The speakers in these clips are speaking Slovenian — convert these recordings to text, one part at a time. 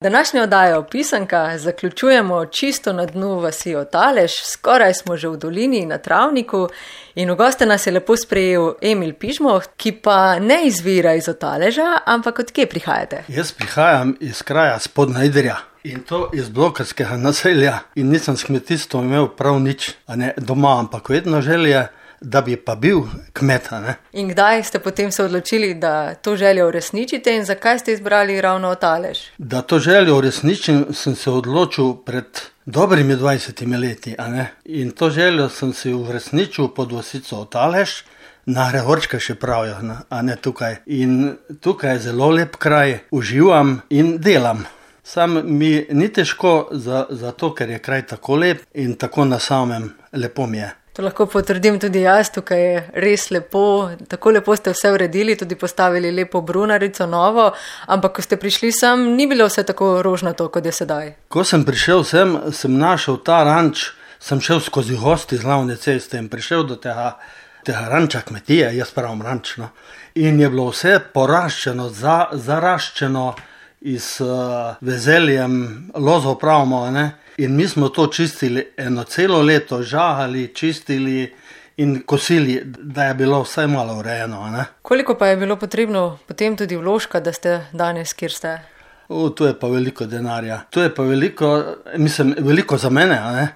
Današnjo oddajo Pisanka zaključujemo čisto na dnu vasi Otalež, skoraj smo že v dolini na travniku in v goste nas je lepo sprejel Emil Pižmoh, ki pa ne izvira iz Otaleža, ampak od kje prihajate? Jaz prihajam iz kraja Spodnja Idrija in to iz blokarskega naselja in nisem s kmetijstvom imel prav nič, a ne doma, ampak vedno želje, da bi pa bil kmet, ne. In kdaj ste potem se odločili, da to željo uresničite in zakaj ste izbrali ravno Otalež? Da to željo uresničim, sem se odločil pred dobrimi 20 leti, a ne. In to željo sem si uresničil pod vasico Otalež, na Gregorčka še pravijo, a ne tukaj. In tukaj je zelo lep kraj, uživam in delam. Sam mi ni težko zato, ker je kraj tako lep in tako na samem lepo mi je. To lahko potrdim tudi jaz, tukaj je res lepo, tako lepo ste vse uredili, tudi postavili lepo brunarico novo, ampak ko ste prišli sem, ni bilo vse tako rožnato, kot je sedaj. Ko sem prišel sem našel ta ranč, sem šel skozi gosti z glavne ceste in prišel do tega ranča kmetije, jaz pravim ranč, no. In je bilo vse poraščeno, zaraščeno iz vezeljem, lozov pravimo, ne. In mi smo to čistili eno celo leto, žagali, čistili in kosili, da je bilo vsaj malo urejeno, ne. Koliko pa je bilo potrebno potem tudi vložka, da ste danes, kjer ste? To je pa veliko denarja. To je pa veliko za mene, a ne.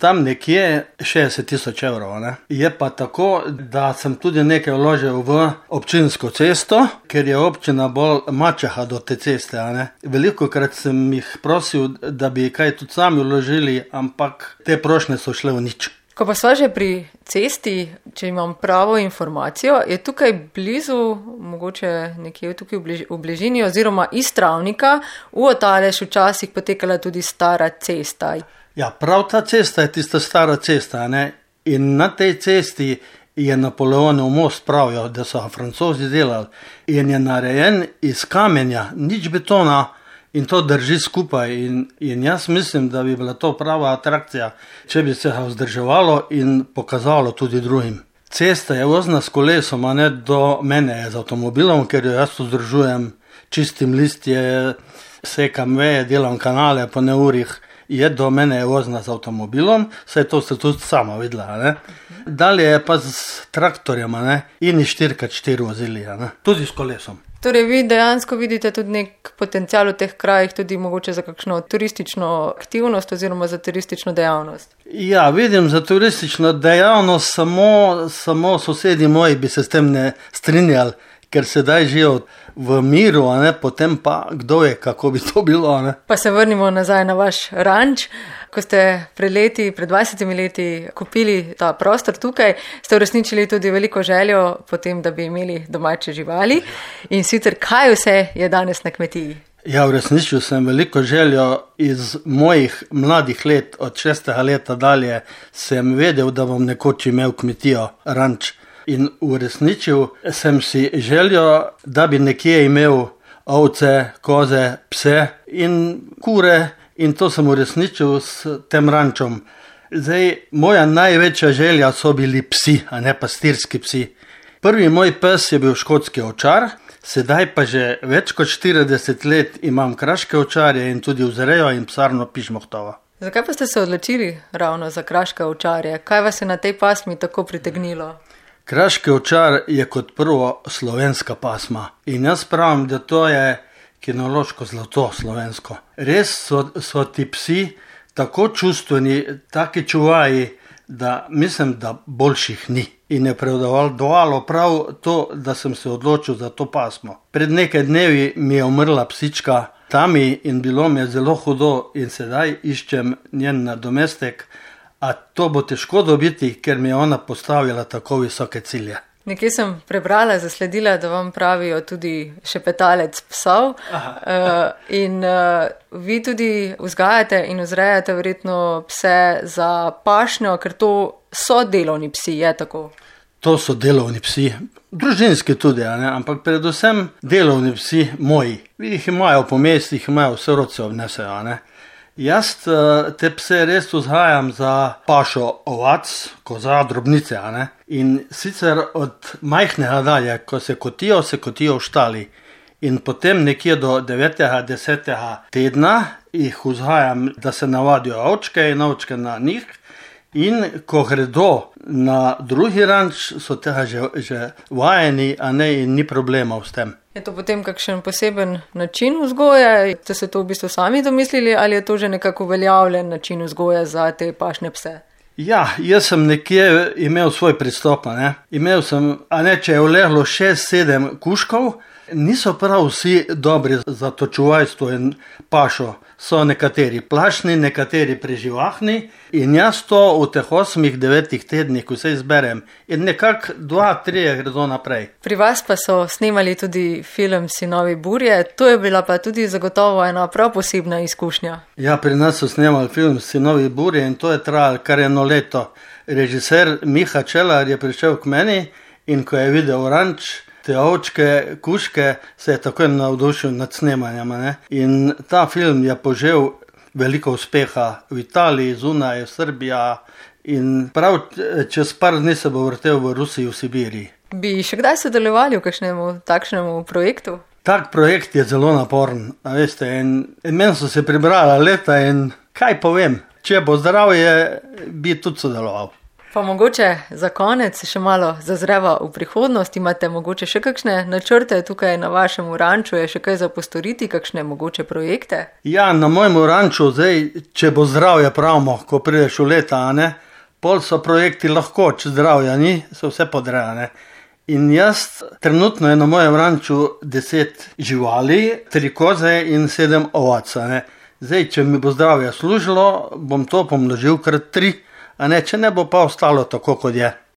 Tam nekje 60 000 evrov, ne. Je pa tako, da sem tudi nekaj vložil v občinsko cesto, ker je občina bolj mačeha do te ceste, a ne. Velikokrat sem jih prosil, da bi kaj tudi sami vložili, ampak te prošnje so šle v nič. Ko pa sva že pri cesti, če imam pravo informacijo, je tukaj blizu, mogoče nekje tukaj v bližini, oziroma iz Travnika v Otalež včasih potekala tudi stara cesta. Ja, prav ta cesta je tista stara cesta, ne? In na tej cesti je Napoleonov most, pravijo, da so ga Francozi delali in je narejen iz kamenja, nič betona in to drži skupaj in jaz mislim, da bi bila to prava atrakcija, če bi se ga vzdrževalo in pokazalo tudi drugim. Cesta je vozna s kolesom, a ne do mene je z avtomobilom, ker jo jaz vzdržujem, čistim listje, sekam veje, delam kanale po neurih. Je do mene je vozna z avtomobilom, saj to ste tudi sama videla, ne. Dalje je pa s traktorjem, ne, in 4x4 vozili, ne, tudi s kolesom. Torej vi dejansko vidite tudi nek potencial v teh krajih, tudi mogoče za kakšno turistično aktivnost oziroma za turistično dejavnost? Ja, vidim za turistično dejavnost, samo sosedi moji bi se s tem ne strinjali, ker sedaj živijo v miru, a ne, potem pa kdo je, kako bi to bilo, ne. Pa se vrnimo nazaj na vaš ranč. Ko ste pred 20 leti kupili ta prostor tukaj, ste uresničili tudi veliko željo potem, da bi imeli domače živali. In sicer, kaj vse je danes na kmetiji? Ja, uresničil sem veliko željo iz mojih mladih let, od 6. leta dalje sem vedel, da bom nekoč imel kmetijo, ranč. In uresničil sem si željo, da bi nekje imel ovce, koze, pse in kure in to sem uresničil s tem rančom. Zdaj, moja največja želja so bili psi, a ne pastirski psi. Prvi moj pes je bil škotski ovčar, sedaj pa že več kot 40 let imam kraške ovčarje in tudi vzrejo in psarno Pižmohtovo. Zakaj pa ste se odločili ravno za kraške ovčarje? Kaj vas je na tej pasmi tako pritegnilo? Kraški ovčar je kot prvo slovenska pasma in jaz pravim, da to je kinološko zlato slovensko. Res so ti psi tako čustveni, taki čuvaji, da mislim, da boljših ni. In je prevladovalo prav to, da sem se odločil za to pasmo. Pred nekaj dnevi mi je umrla psička Tami in bilo mi je zelo hudo in sedaj iščem njen nadomestek. A to bo težko dobiti, ker mi je ona postavila tako visoke cilje. Nekje sem prebrala, zasledila, da vam pravijo tudi šepetalec psov. In vi tudi vzgajate in vzrejate verjetno pse za pašnjo, ker to so delovni psi, je tako? To so delovni psi, družinski tudi, ne? Ampak predvsem delovni psi moji. Jih imajo po mestih, imajo vse rodce odnesejo, ne. Jaz te pse res vzgajam za pašo ovac, koza, drobnice, a ne. In sicer od majhnega dalje, ko se kotijo v štali. In potem nekje do 9. 10. tedna jih vzgajam, da se navadijo ovčke in ovčke na njih. In ko gredo na drugi ranč, so tega že vajeni, a ne, in ni problemov s tem. Je to potem kakšen poseben način vzgoje? Ste se to v bistvu sami domislili ali je to že nekako uveljavljen način vzgoje za te pašne pse? Ja, jaz sem nekje imel svoj pristop, ne. Imel sem, če je uleglo 6-7 kužkov, niso prav vsi dobri za to čuvajstvo in pašo. So nekateri plašni, nekateri preživahni in jaz to v teh 8-9 tednih, ko se izberem, in nekako 2-3 gredo naprej. Pri vas pa so snemali tudi film Sinovi burje, to je bila pa tudi zagotovo ena prav posebna izkušnja. Ja, pri nas so snemali film Sinovi burje in to je trajalo kar 1 leto. Režiser Miha Čelar je prišel k meni in ko je videl ranč, te ovčke, kužke, se je takoj navdušil nad snemanjem. Ne? In ta film je požel veliko uspeha v Italiji, zunaj, v Srbiji in prav čez par dni se bo vrtel v Rusiji, v Sibiriji. Bi še kdaj sodelovali v kakšnemu takšnemu projektu? Tak projekt je zelo naporen, veste, in meni so se pribrala leta in kaj povem, če bo zdravje, bi tudi sodeloval. Pa mogoče za konec še malo zazreva v prihodnost, imate mogoče še kakšne načrte tukaj na vašem ranču, je še kaj za postoriti, kakšne mogoče projekte? Ja, na mojem ranču zdaj, če bo zdravje pravimo, ko prideš v leta, ne, pol so projekti lahko, če zdravja ni, so vse podrejane. In jaz trenutno je na mojem ranču 10 živali, 3 koze in 7 ovac, ne. Zdaj, če mi bo zdravje služilo, bom to pomnožil krat 3, če ne bo pa ostalo tako, kot je.